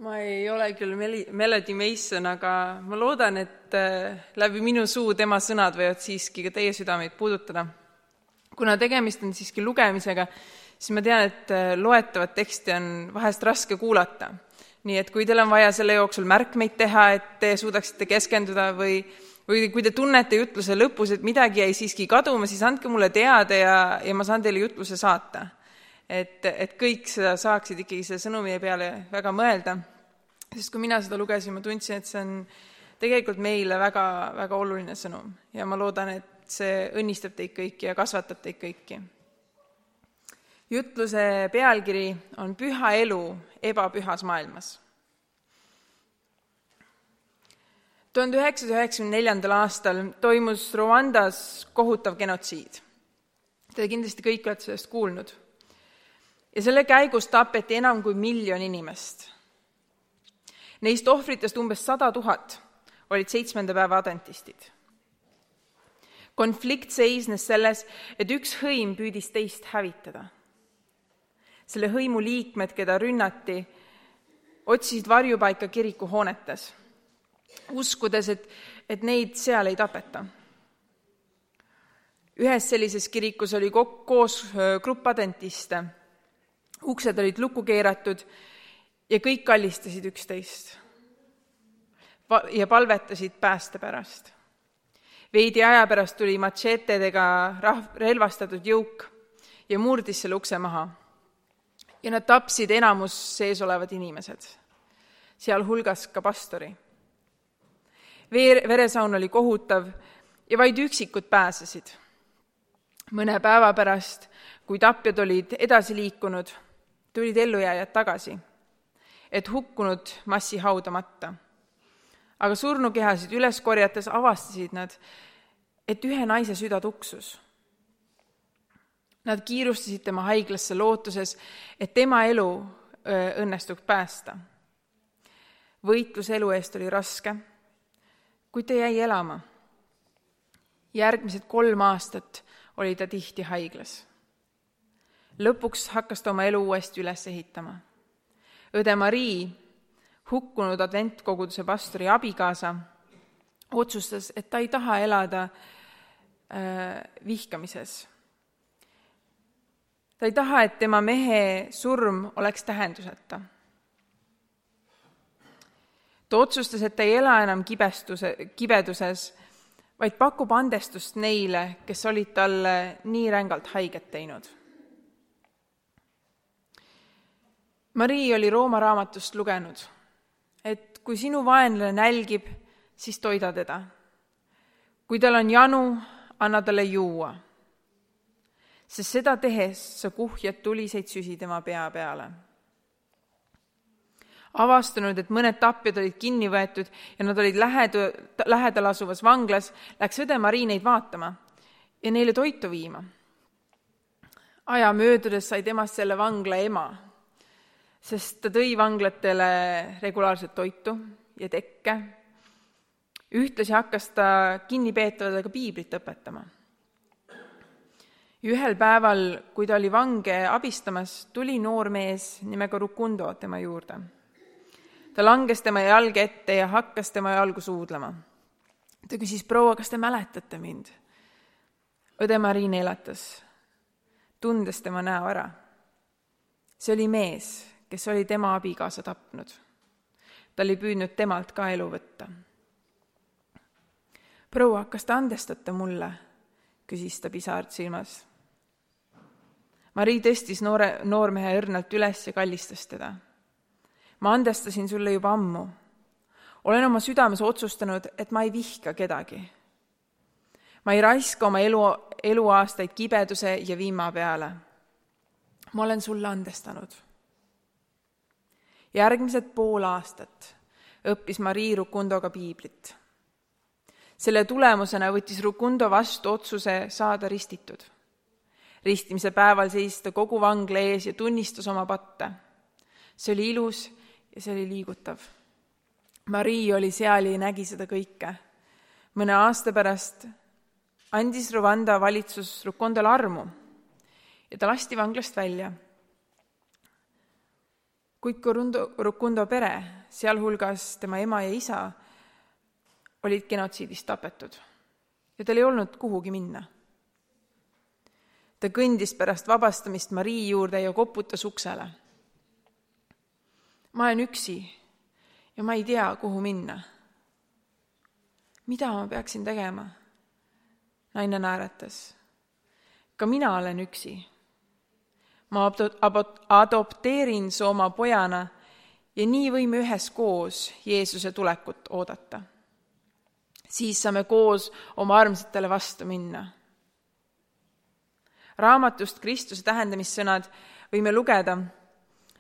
Ma ei ole küll Melody Mason, aga ma loodan, et läbi minu suu tema sõnad võivad siiski ka teie südameid puudutada. Kuna tegemist on siiski lugemisega, siis ma tean, et loetavat teksti on vahest raske kuulata. Nii et kui teil on vaja selle jooksul märkmeid teha, et te suudaksite keskenduda või kui te tunnete jutluse lõpus, et midagi jäi siiski kaduma, siis andke mulle teada ja ma saan teile jutluse saata. Et kõik seda saaksid ikkagi selle sõnumi peale väga mõelda. Sest kui mina seda lugesin, ma tundsin, et see on tegelikult meile väga, väga oluline sõnum. Ja ma loodan, et see õnnistab teid kõiki ja kasvatab teid kõiki. Jutluse pealkiri on Püha elu ebapühas maailmas. 1994. aastal toimus Rwandas kohutav genotsiid. Te kindlasti kõik olete sellest kuulnud. Ja selle käigus tapeti enam kui 1 miljon inimest. Neist ohvritest umbes 100 000 olid 7. päeva adventistid. Konflikt seisnes selles, et üks hõim püüdis teist hävitada. Selle hõimu liikmed, keda rünnati, otsisid varjupaika kiriku hoonetes, uskudes, et neid seal ei tapeta. Ühes sellises kirikus oli koos grupp adventiste. Uksed olid lukku keeratud ja kõik kallistasid üksteist ja palvetasid pääste pärast. Veidi aja pärast tuli matšeetedega relvastatud jõuk ja murdis selle ukse maha. Ja nad tapsid enamus sees olevad inimesed, sealhulgas ka pastori. Veresaun oli kohutav ja vaid üksikud pääsesid. Mõne päeva pärast, kui tapjad olid edasi liikunud, tulid ellujääjad tagasi, et hukkunud massi haudamata. Aga surnukehasid üles korjates avastasid nad, et ühe naise süda tuksus. Nad kiirustasid tema haiglasse lootuses, et tema elu õnnestuks päästa. Võitlus elu eest oli raske, kuid ta jäi elama. Järgmised 3 aastat oli ta tihti haiglas. Lõpuks hakkas ta oma elu uuesti üles ehitama. Õde Marii, hukkunud adventkoguduse pastori abikaasa, otsustas, et ta ei taha elada vihkamises. Ta ei taha, et tema mehe surm oleks tähenduseta. Ta otsustas, et ta ei ela enam kibeduses, vaid pakub andestust neile, kes olid talle nii rängalt haiget teinud. Marii oli Rooma raamatust lugenud, et kui sinu vaenlane nälgib, siis toida teda. Kui tal on janu, anna talle juua. Sest seda tehes sa kuhjad tuliseid süsi tema pea peale. Avastanud, et mõned tapjad olid kinni võetud ja nad olid lähedal asuvas vanglas, läks õde Marii neid vaatama ja neile toitu viima. Aja möödudes sai temast selle vangla ema, sest ta tõi vanglatele regulaarselt toitu ja tekke. Ühtlasi hakkas ta kinnipeetavadega piiblit õpetama. Ühel päeval, kui ta oli vange abistamas, tuli noor mees nimega Rukundo tema juurde. Ta langes tema jalge ette ja hakkas tema jalgu suudlema. Ta küsis, proua, kas te mäletate mind? Õde Marii neelatas, tundes tema näo ära. See oli mees, kes oli tema abikaasa tapnud. Ta oli püüdnud temalt ka elu võtta. Proua, kas te andestate mulle? Küsis ta pisart silmas. Marii tõstis noormehe õrnalt üles ja kallistas teda. Ma andestasin sulle juba ammu. Olen oma südames otsustanud, et ma ei vihka kedagi. Ma ei raiska oma eluaastaid kibeduse ja viima peale. Ma olen sulle andestanud. Järgmised 5 aastat õppis Marii Rukundoga piiblit. Selle tulemusena võttis Rukundo vastu otsuse saada ristitud. Ristimise päeval seisis ta kogu vangla ees ja tunnistas oma patte. See oli ilus ja see oli liigutav. Marii oli seal ja nägi seda kõike. Mõne aasta pärast andis Rwanda valitsus Rukondole armu ja ta lasti vanglast välja. Kuid Rukundo pere, sealhulgas tema ema ja isa, olid genotsiidist tapetud ja tal ei olnud kuhugi minna. Ta kõndis pärast vabastamist Marii juurde ja koputas uksele. Ma olen üksi ja ma ei tea, kuhu minna. Mida ma peaksin tegema? Naine naeratas. Ka mina olen üksi. Ma adopteerin su oma pojana ja nii võime üheskoos Jeesuse tulekut oodata. Siis saame koos oma armsatele vastu minna. Raamatust Kristuse tähendamissõnad võime lugeda,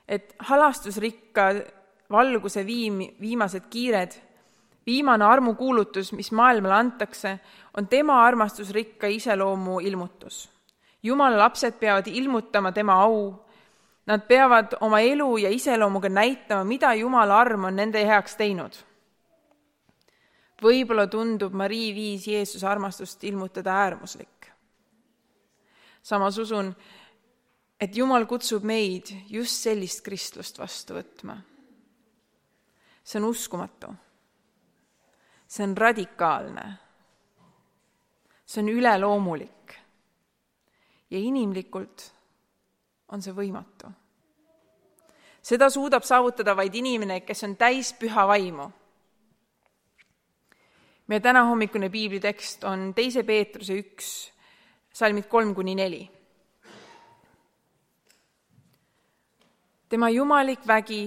et halastusrikka valguse viimased kiired, viimane armukuulutus, mis maailmale antakse, on tema armastusrikka iseloomu ilmutus. Jumala lapsed peavad ilmutama tema au. Nad peavad oma elu ja iseloomuga näitama, mida Jumala arm on nende heaks teinud. Võib-olla tundub Marii viis Jeesuse armastust ilmutada äärmuslik. Samas usun, et Jumal kutsub meid just sellist kristlust vastu võtma. See on uskumatu. See on radikaalne. See on üleloomulik. Ja inimlikult on see võimatu. Seda suudab saavutada vaid inimene, kes on täis püha vaimu. Meie täna hommikune piiblitekst on 2. Peetruse 1, salmid 3-4. Tema jumalik vägi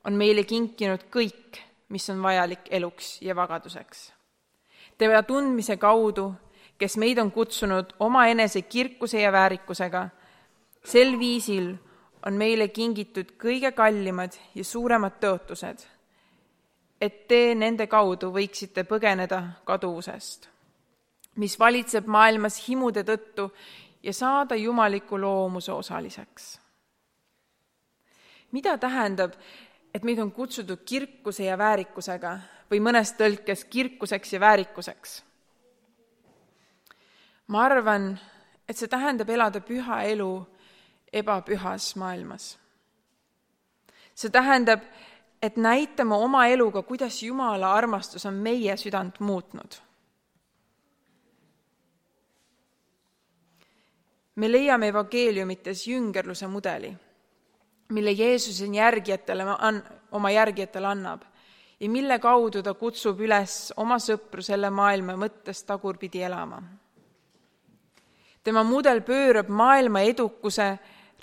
on meile kinkinud kõik, mis on vajalik eluks ja vagaduseks. Tema tundmise kaudu, kes meid on kutsunud oma enese kirkuse ja väärikusega, sel viisil on meile kingitud kõige kallimad ja suuremad tõotused, et te nende kaudu võiksite põgeneda kaduvusest, mis valitseb maailmas himude tõttu ja saada jumaliku loomuse osaliseks. Mida tähendab, et meid on kutsutud kirkuse ja väärikusega või mõnes tõlkes kirkuseks ja väärikuseks? Ma arvan, et see tähendab elada püha elu ebapühas maailmas. See tähendab, et näitame oma eluga, kuidas Jumala armastus on meie südant muutnud. Me leiame evangeeliumites jüngerluse mudeli, mille Jeesus oma järgijatele annab ja mille kaudu ta kutsub üles oma sõpru selle maailma mõttes tagurpidi elama. Tema mudel pöörab maailma edukuse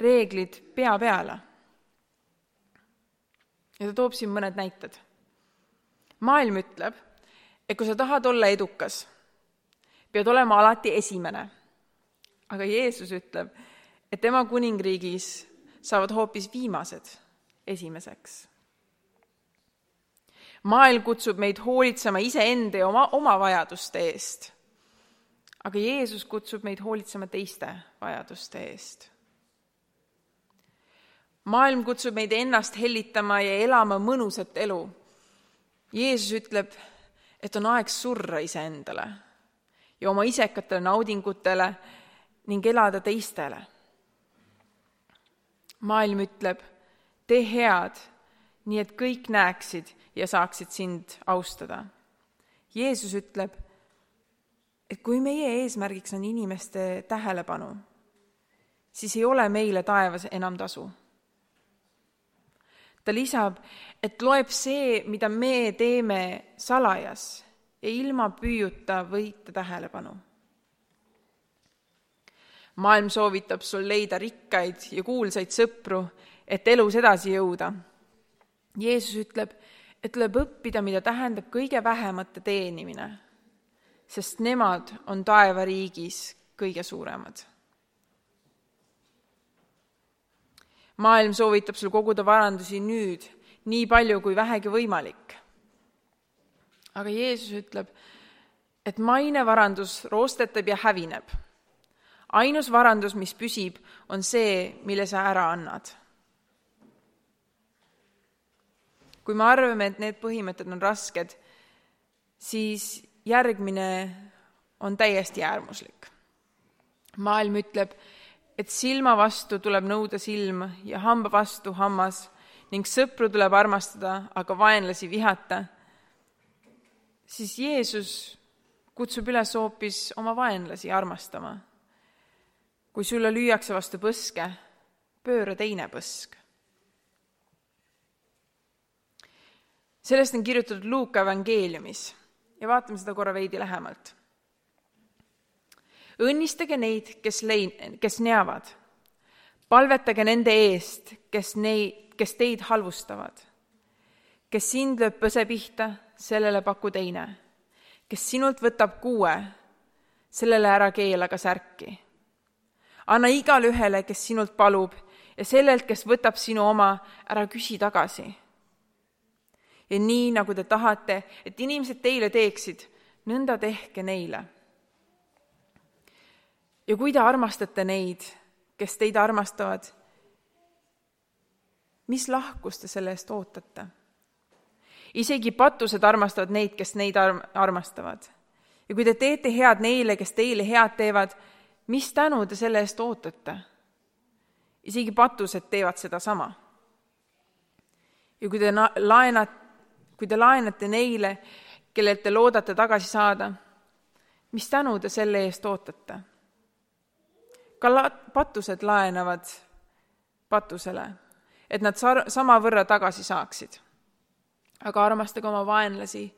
reeglid pea peale. Ja ta toob siin mõned näited. Maailm ütleb, et kui sa tahad olla edukas, pead olema alati esimene. Aga Jeesus ütleb, et tema kuningriigis saavad hoopis viimased esimeseks. Maailm kutsub meid hoolitsema iseenda ja oma vajaduste eest. Aga Jeesus kutsub meid hoolitsema teiste vajaduste eest. Maailm kutsub meid ennast hellitama ja elama mõnusat elu. Jeesus ütleb, et on aeg surra iseendale ja oma isekatele naudingutele ning elada teistele. Maailm ütleb, tee head, nii et kõik näeksid ja saaksid sind austada. Jeesus ütleb, et kui meie eesmärgiks on inimeste tähelepanu, siis ei ole meile taevas enam tasu. Ta lisab, et loeb see, mida me teeme salajas ja ilma püüuta võita tähelepanu. Maailm soovitab sul leida rikkaid ja kuulsaid sõpru, et elus edasi jõuda. Jeesus ütleb, et tuleb õppida, mida tähendab kõige vähemate teenimine, sest nemad on taevariigis kõige suuremad. Maailm soovitab sul koguda varandusi nüüd, nii palju kui vähegi võimalik. Aga Jeesus ütleb, et maine varandus roostetab ja hävineb. Ainus varandus, mis püsib, on see, mille sa ära annad. Kui me arvame, et need põhimõtted on rasked, siis järgmine on täiesti äärmuslik. Maailm ütleb, et silma vastu tuleb nõuda silm ja hamba vastu hammas ning sõpru tuleb armastada, aga vaenlasi vihata, siis Jeesus kutsub üles hoopis oma vaenlasi armastama. Kui sulle lüüakse vastu põske, pööra teine põsk. Sellest on kirjutatud Luuka evangeeliumis ja vaatame seda korra veidi lähemalt. Õnnistage neid, kes neavad. Palvetage nende eest, kes teid halvustavad. Kes sind lööb põse pihta, sellele paku teine. Kes sinult võtab kuue, sellele ära keela ka särki. Anna igale ühele, kes sinult palub, ja sellelt, kes võtab sinu oma, ära küsi tagasi. Ja nii, nagu te tahate, et inimesed teile teeksid, nõnda tehke neile. Ja kui te armastate neid, kes teid armastavad, mis lahkust te selle eest ootate? Isegi patused armastavad neid, kes neid armastavad. Ja kui te teete head neile, kes teile head teevad, mis tänu te selle eest ootate? Isegi patused teevad seda sama. Ja kui te laenate neile, kellelt te loodate tagasi saada, mis tänu te selle eest ootate? Ka patused laenavad patusele, et nad sama võrra tagasi saaksid. Aga armastage oma vaenlasi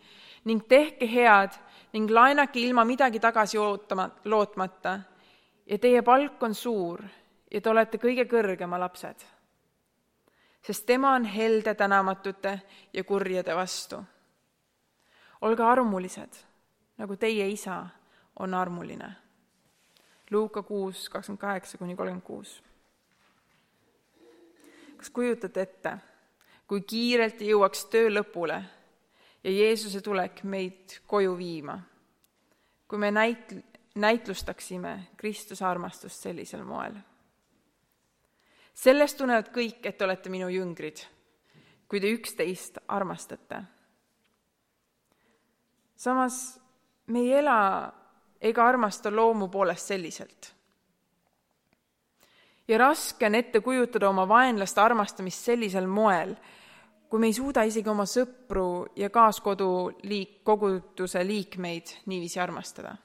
ning tehke head ning laenake ilma midagi tagasi lootmata ja teie palk on suur ja te olete kõige kõrgema lapsed. Sest tema on helde tänamatute ja kurjade vastu. Olge armulised, nagu teie isa on armuline. Luuka 6, 28-36. Kas kujutate ette, kui kiirelt jõuaks töö lõpule ja Jeesuse tulek meid koju viima, kui me näitlustaksime Kristuse armastust sellisel moel? Sellest tunnevad kõik, et olete minu jüngrid, kui te üksteist armastate. Samas me ei ela ega armasta loomu poolest selliselt. Ja raske on ette kujutada oma vaenlaste armastamist sellisel moel, kui me ei suuda isegi oma sõpru ja koguduse liikmeid niiviisi armastada.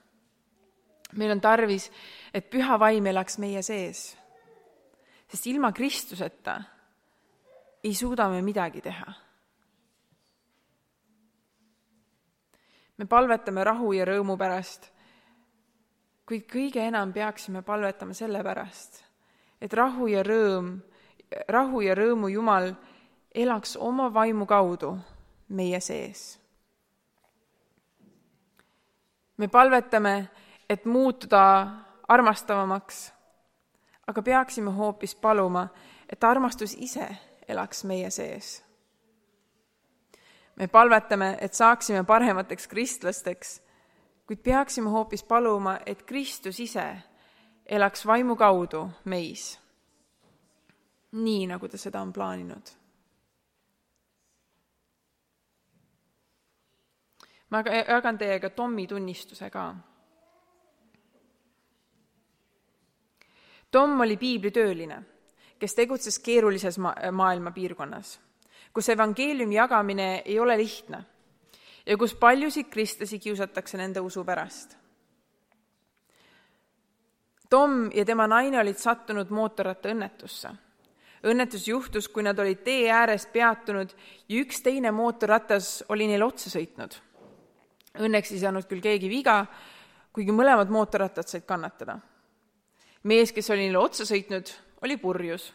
Meil on tarvis, et püha vaim elaks meie sees, sest ilma Kristuseta ei suuda me midagi teha. Me palvetame rahu ja rõõmu pärast, kuid kõige enam peaksime palvetama selle pärast, et rahu ja rõõmu Jumal elaks oma vaimu kaudu meie sees. Me palvetame, et muutuda armastavamaks, aga peaksime hoopis paluma, et armastus ise elaks meie sees. Me palvetame, et saaksime paremateks kristlasteks, kuid peaksime hoopis paluma, et Kristus ise elaks vaimu kaudu meis, nii nagu ta seda on plaaninud. Ma jagan teiega Tommi tunnistuse ka. Tom oli piiblitööline, kes tegutses keerulises maailma piirkonnas, kus evangeeliumi jagamine ei ole lihtne ja kus paljusid kristlasi kiusatakse nende usu pärast. Tom ja tema naine olid sattunud mootorrattaõnnetusse. Õnnetus juhtus, kui nad olid tee ääres peatunud ja üks teine mootorratas oli neil otsa sõitnud. Õnneks ei saanud küll keegi viga, kuigi mõlemad mootorrattad said kannatada. Mees, kes oli neile otsa sõitnud, oli purjus.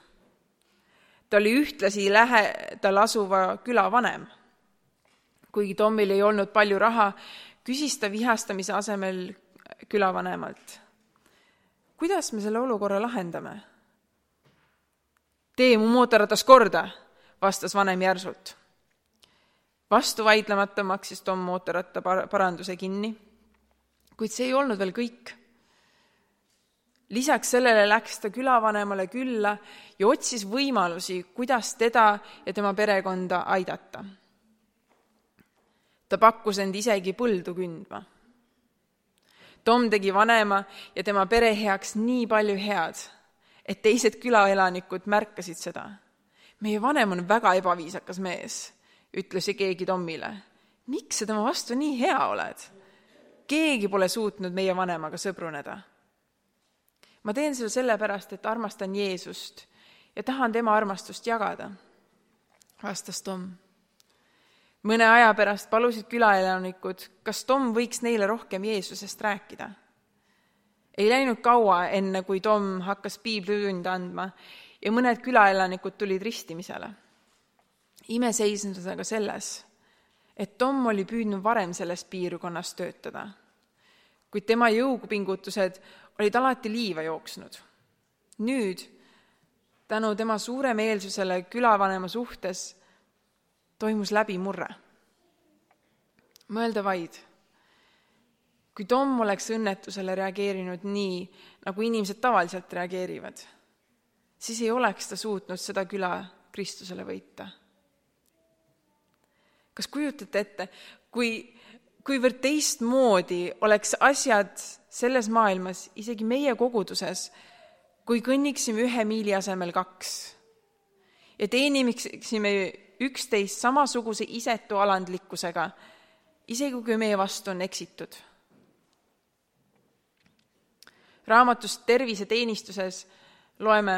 Ta oli ühtlasi lähedal asuva küla vanem. Kuigi Tomil ei olnud palju raha, küsis ta vihastamise asemel külavanemalt. Kuidas me selle olukorra lahendame? Tee mu mootorratas korda, vastas vanem järsult. Vastu vaidlemata maksis Tom mootorratta paranduse kinni, kuid see ei olnud veel kõik. Lisaks sellele läks ta külavanemale külla ja otsis võimalusi, kuidas teda ja tema perekonda aidata. Ta pakkus end isegi põldu kündma. Tom tegi vanema ja tema pere heaks nii palju head, et teised külaelanikud märkasid seda. meie vanem on väga ebaviisakas mees, ütles keegi Tomile. Miks sa tema vastu nii hea oled? Keegi pole suutnud meie vanemaga sõbruneda. Ma teen seda sellepärast, et armastan Jeesust ja tahan tema armastust jagada, vastas Tom. Mõne aja pärast palusid külaelanikud, kas Tom võiks neile rohkem Jeesusest rääkida. Ei läinud kaua enne, kui Tom hakkas piiblitunde andma ja mõned külaelanikud tulid ristimisele. Ime seisnes aga selles, et Tom oli püüdnud varem selles piirkonnas töötada, kuid tema jõupingutused olid alati liiva jooksnud. Nüüd, tänu tema suuremeelsusele külavanema suhtes, toimus läbimurre. Mõelda vaid, kui Tom oleks õnnetusele reageerinud nii, nagu inimesed tavaliselt reageerivad, siis ei oleks ta suutnud seda küla Kristusele võita. Kas kujutate ette, kuivõrd teistmoodi oleks asjad selles maailmas, isegi meie koguduses, kui kõnniksime 1 miili asemel 2 ja teeniksime üksteist samasuguse isetu alandlikkusega, isegi kui meie vastu on eksitud. Raamatust Terviseteenistuses loeme,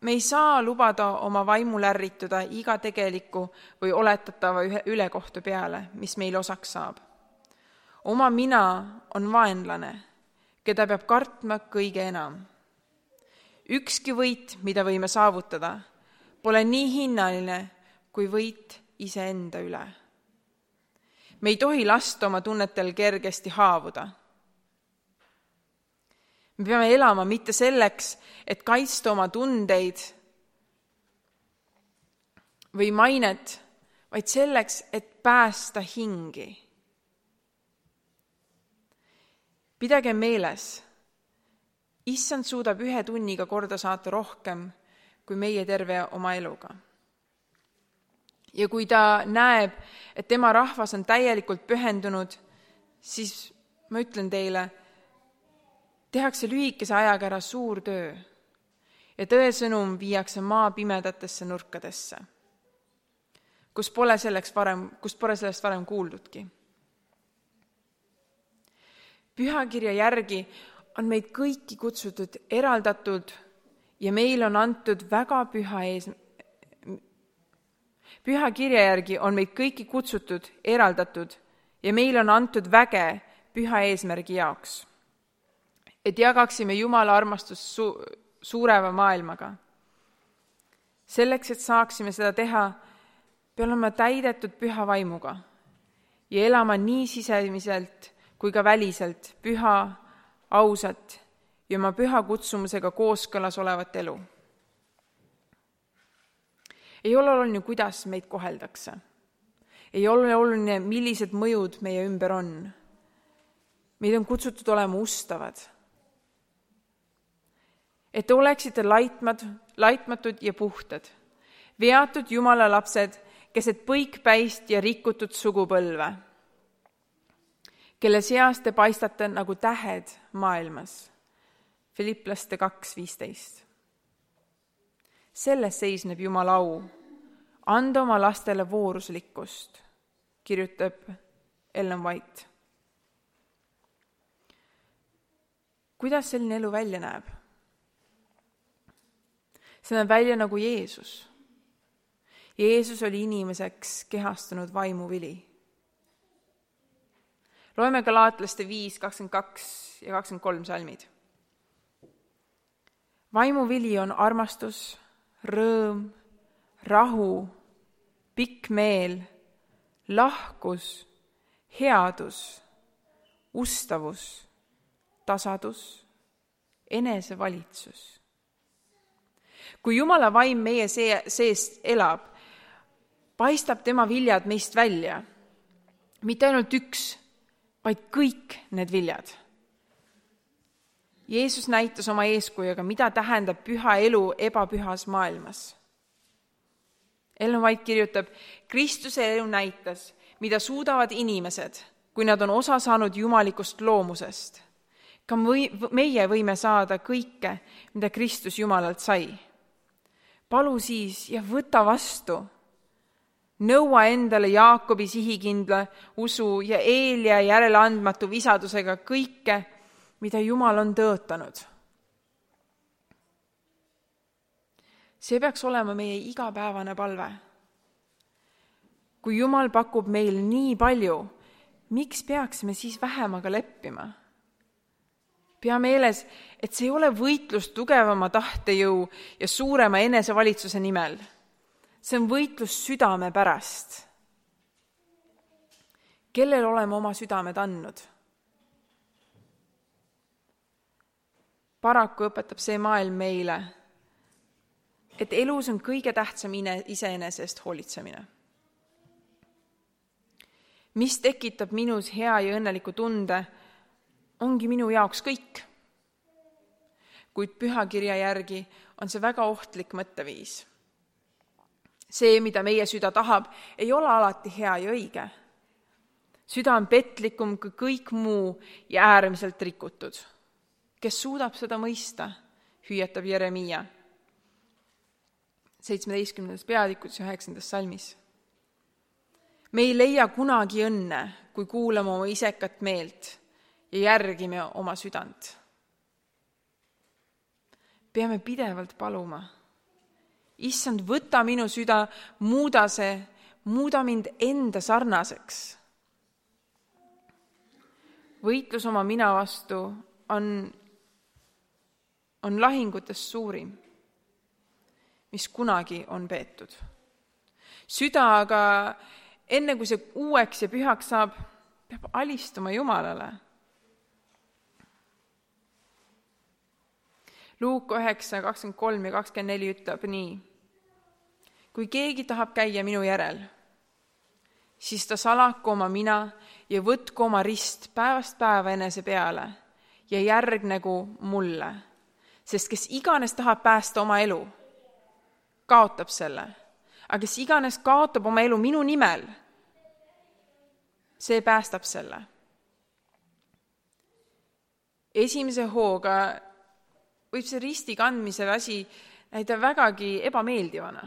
me ei saa lubada oma vaimul ärrituda iga tegeliku või oletatava ülekohtu peale, mis meil osaks saab. Oma mina on vaenlane, keda peab kartma kõige enam. Ükski võit, mida võime saavutada, pole nii hinnaline kui võit iseenda üle. Me ei tohi lasta oma tunnetel kergesti haavuda. Me peame elama mitte selleks, et kaitsta oma tundeid või mainet, vaid selleks, et päästa hingi. Pidage meeles, Issand suudab 1 tunniga korda saata rohkem kui meie terve oma eluga. Ja kui ta näeb, et tema rahvas on täielikult pühendunud, siis ma ütlen teile, tehakse lühikese ajaga ära suur töö ja tõesõnum viiakse maa pimedatesse nurkadesse, kust pole sellest varem kuuldudki. Pühakirja järgi on meid kõiki kutsutud eraldatud ja meil on antud väga Pühakirja järgi on meid kõiki kutsutud eraldatud ja meil on antud väge püha eesmärgi jaoks, et jagaksime Jumala armastust suureva maailmaga. Selleks, et saaksime seda teha, peame olema täidetud püha vaimuga ja elama nii sisemiselt kui ka väliselt püha, ausat ja oma püha kutsumusega kooskõlas olevat elu. Ei ole oluline, kuidas meid koheldakse. Ei ole oluline, millised mõjud meie ümber on. Meid on kutsutud olema ustavad. Et te oleksite laitmatud ja puhtad, veatud Jumala lapsed, keset põikpäist ja rikutud sugupõlve, kelle seas te paistate nagu tähed maailmas. Filipplaste 2:15. Selles seisneb Jumala au, anda oma lastele vooruslikkust, kirjutab Ellen White. Kuidas selline elu välja näeb? See näeb välja nagu Jeesus. Jeesus oli inimeseks kehastunud vaimuvili. Loeme Galaatlaste 5:22 ja 23 salmid. Vaimuvili on armastus, rõõm, rahu, pikk meel, lahkus, headus, ustavus, tasadus, enesevalitsus. Kui Jumala vaim meie sees elab, paistab tema viljad meist välja. Mitte ainult üks, vaid kõik need viljad. Jeesus näitas oma eeskujuga, mida tähendab püha elu ebapühas maailmas. Ellen White kirjutab, Kristuse elu näitas, mida suudavad inimesed, kui nad on osa saanud jumalikust loomusest. Ka meie võime saada kõike, mida Kristus Jumalalt sai. palu siis ja võta vastu. Nõua endale Jaakobi sihikindla usu ja Eelia järeleandmatu visadusega kõike, mida Jumal on tõotanud. See peaks olema meie igapäevane palve. Kui Jumal pakub meil nii palju, miks peaksime siis vähemaga leppima? Pea meeles, et see ei ole võitlus tugevama tahtejõu ja suurema enesevalitsuse nimel. See on võitlus südame pärast. Kellel oleme oma südamed andnud? Paraku õpetab see maailm meile, et elus on kõige tähtsam iseenese eest hoolitsemine. Mis tekitab minus hea ja õnneliku tunde, ongi minu jaoks kõik. Kuid pühakirja järgi on see väga ohtlik mõtteviis. See, mida meie süda tahab, ei ole alati hea ja õige. Süda on petlikum kui kõik muu ja äärmiselt rikutud. Kes suudab seda mõista, hüüatab Jeremiia 17. peatükkis 9. salmis. Me ei leia kunagi õnne, kui kuulame oma isekat meelt ja järgime oma südant. Peame pidevalt paluma. Issand, võta minu süda, muuda mind enda sarnaseks. Võitlus oma mina vastu on lahingutest suurim, mis kunagi on peetud. Süda aga, enne kui see uueks ja pühaks saab, peab alistuma Jumalale. Luuk 9, 23 ja 24 ütleb nii. Kui keegi tahab käia minu järel, siis ta salaku oma mina ja võtku oma rist päevast päeva enese peale ja järgnegu mulle. Sest kes iganes tahab päästa oma elu, kaotab selle. Aga kes iganes kaotab oma elu minu nimel, see päästab selle. Esimese hooga võib see risti kandmise asi näida vägagi ebameeldivana.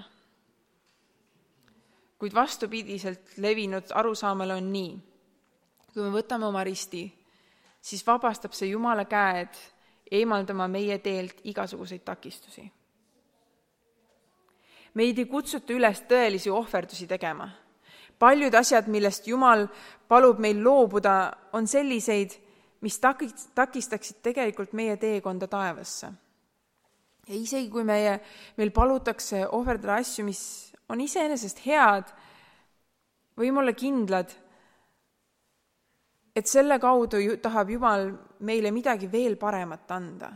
Kuid vastupidiselt levinud arusaamale on nii. Kui me võtame oma risti, siis vabastab see Jumala käed eemaldama meie teelt igasuguseid takistusi. Meid ei kutsuta üles tõelisi ohverdusi tegema. Paljud asjad, millest Jumal palub meil loobuda, on selliseid, mis takistaksid tegelikult meie teekonda taevasse. Ja isegi kui meil palutakse ohverdada asju, mis on iseenesest head, võime olla kindlad, et selle kaudu tahab Jumal meile midagi veel paremat anda.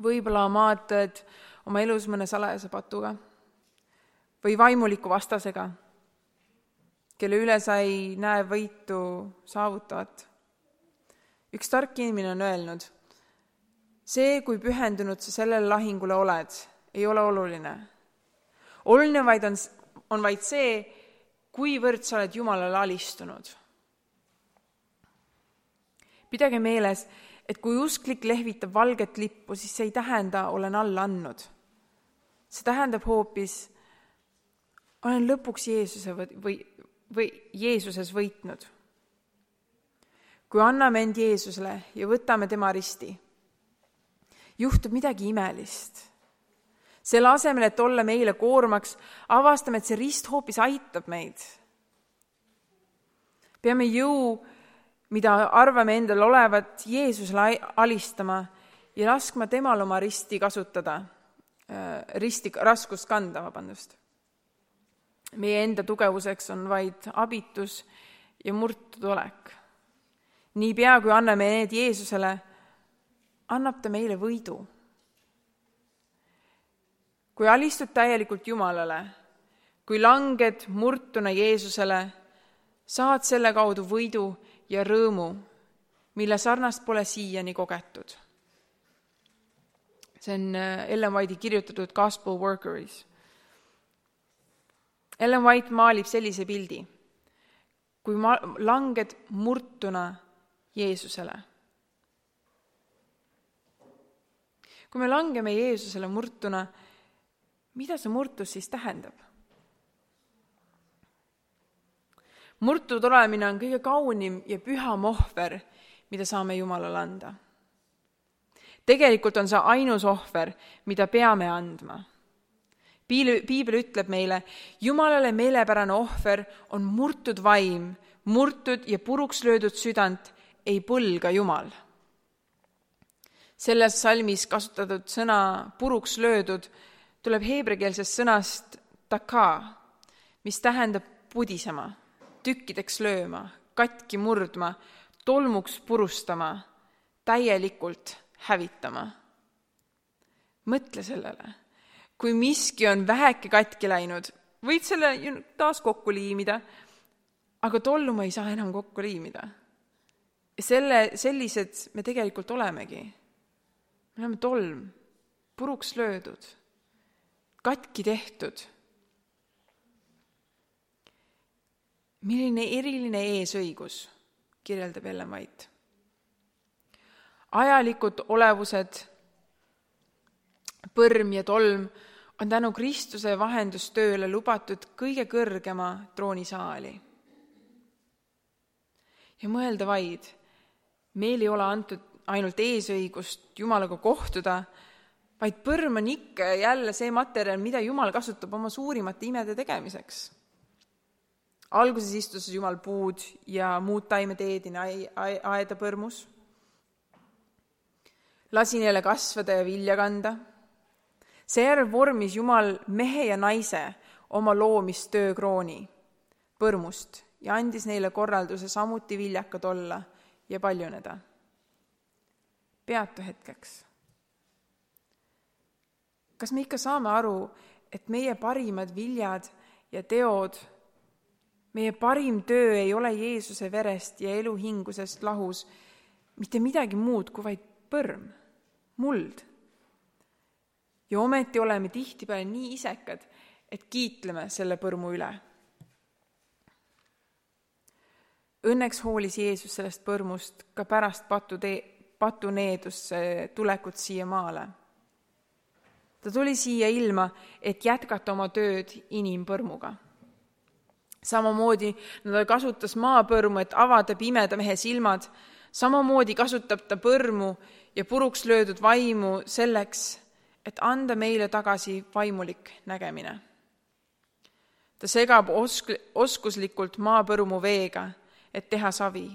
Võib-olla maadled oma elus mõne salajase patuga või vaimuliku vastasega, kelle üle sa ei näe võitu saavutavat. Üks tark inimene on öelnud, see, kui pühendunud sa sellele lahingule oled, ei ole oluline. Oluline on vaid see, kuivõrd sa oled Jumalale alistunud. Pidage meeles, et kui usklik lehvitab valget lippu, siis see ei tähenda, olen alla andnud. See tähendab hoopis, olen lõpuks Jeesuses võitnud. Kui anname end Jeesusele ja võtame tema risti, juhtub midagi imelist. Selle asemel, et olla meile koormaks, avastame, et see rist hoopis aitab meid. Peame jõu, mida arvame endal olevat, Jeesusele alistama ja laskma temal oma risti kasutada, risti raskust kanda, vabandust. Meie enda tugevuseks on vaid abitus ja murtud olek. Niipea, kui anname need Jeesusele, annab ta meile võidu. Kui alistud täielikult Jumalale, kui langed murtuna Jeesusele, saad selle kaudu võidu ja rõõmu, mille sarnast pole siiani kogetud. See on Ellen White'i kirjutatud Gospel Workeris. Ellen White maalib sellise pildi, kui langed murtuna Jeesusele. Kui me langeme Jeesusele murtuna, Mida see murtus siis tähendab? Murtud olemine on kõige kaunim ja püham ohver, mida saame Jumalale anda. Tegelikult on see ainus ohver, mida peame andma. Piibel ütleb meile, Jumalale meelepärane ohver on murtud vaim, murtud ja puruks löödud südant ei põlga Jumal. Selles salmis kasutatud sõna puruks löödud tuleb heebrekeelsest sõnast taka, mis tähendab pudisema, tükkideks lööma, katki murdma, tolmuks purustama, täielikult hävitama. Mõtle sellele. Kui miski on väheke katki läinud, võid selle taas kokku liimida, aga tollu ma ei saa enam kokku liimida. Sellised me tegelikult olemegi. Me oleme tolm, puruks löödud, katki tehtud. Milline eriline eesõigus, kirjeldab Ellen White. Ajalikud olevused, põrm ja tolm on tänu Kristuse vahendustööle lubatud kõige kõrgema troonisaali. Ja mõelda vaid, meil ei ole antud ainult eesõigust Jumalaga kohtuda, vaid põrm on ikka ja jälle see materjal, mida Jumal kasutab oma suurimate imede tegemiseks. Alguses istus Jumal puud ja muud taimed eedina aeda põrmus. Lasi neile kasvada ja vilja kanda. Seejärel vormis Jumal mehe ja naise oma loomistöö krooni põrmust ja andis neile korralduse samuti viljakad olla ja paljuneda. Peatu hetkeks. Kas me ikka saame aru, et meie parimad viljad ja teod, meie parim töö ei ole Jeesuse verest ja eluhingusest lahus mitte midagi muud kui vaid põrm, muld? Ja ometi oleme tihtipeale nii isekad, et kiitleme selle põrmu üle. Õnneks hoolis Jeesus sellest põrmust ka pärast patuneedusse tulekut siia maale. Ta tuli siia ilma, et jätkata oma tööd inimpõrmuga. Samamoodi ta kasutas maapõrmu, et avada pimeda mehe silmad. Samamoodi kasutab ta põrmu ja puruks löödud vaimu selleks, et anda meile tagasi vaimulik nägemine. Ta segab oskuslikult maapõrmu veega, et teha savi.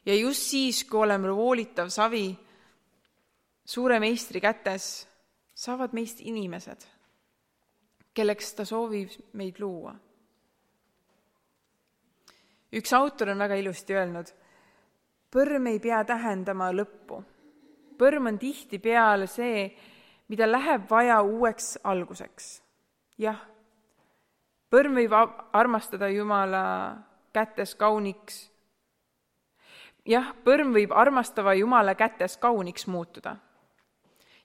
Ja just siis, kui oleme voolitav savi suure meistri kätes, saavad meist inimesed, kelleks ta soovib meid luua. Üks autor on väga ilusti öelnud, põrm ei pea tähendama lõppu. Põrm on tihtipeale see, mida läheb vaja uueks alguseks. Jah, põrm võib armastada Jumala kätes kauniks. Jah, põrm võib armastava Jumala kätes kauniks muutuda.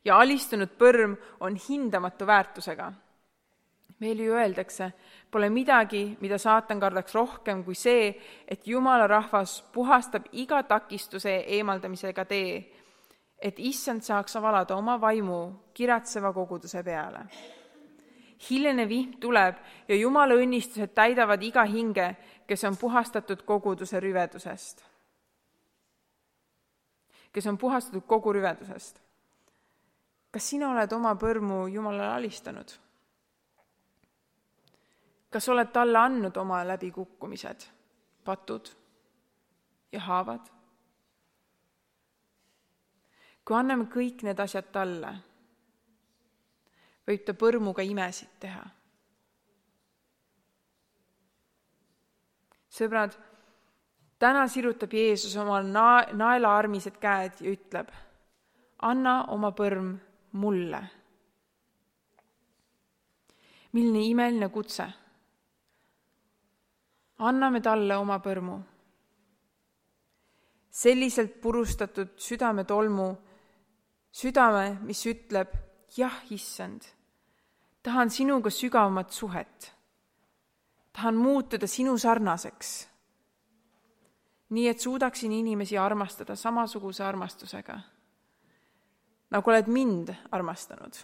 Ja alistunud põrm on hindamatu väärtusega. Meil ju öeldakse, pole midagi, mida saatan kardaks rohkem kui see, et Jumala rahvas puhastab iga takistuse eemaldamisega tee, et issand saaks avalada oma vaimu kiratseva koguduse peale. Hiljene vihm tuleb ja Jumala õnnistused täidavad iga hinge, kes on puhastatud koguduse rüvedusest. Kes on puhastatud kogu rüvedusest. Kas sina oled oma põrmu Jumalale alistanud? Kas oled talle andnud oma läbikukkumised, patud ja haavad? Kui anname kõik need asjad talle, võib ta põrmuga imesid teha. Sõbrad, täna sirutab Jeesus oma naelaarmised käed ja ütleb, anna oma põrm mulle. Milline imeline kutse. Anname talle oma põrmu. Selliselt purustatud südametolmu, südame, mis ütleb, jah, issand, tahan sinuga sügavamat suhet. Tahan muutuda sinu sarnaseks. Nii, et suudaksin inimesi armastada samasuguse armastusega, nagu oled mind armastanud.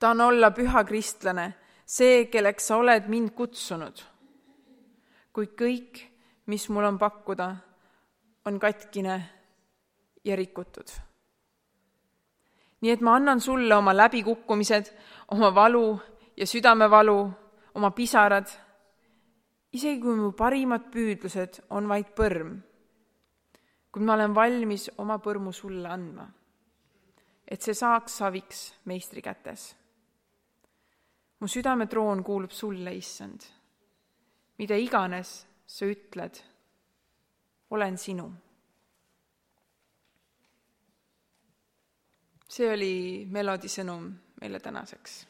tahan olla püha kristlane, see, kelleks sa oled mind kutsunud. Kuid kõik, mis mul on pakkuda, on katkine ja rikutud. Nii et ma annan sulle oma läbikukkumised, oma valu ja südamevalu, oma pisarad, isegi kui mu parimad püüdlused on vaid põrm. Kuid ma olen valmis oma põrmu sulle andma, et see saaks saviks meistri kätes. Mu südametroon kuulub sulle, issand. Mida iganes sa ütled, olen sinu. See oli Melodi sõnum meile tänaseks.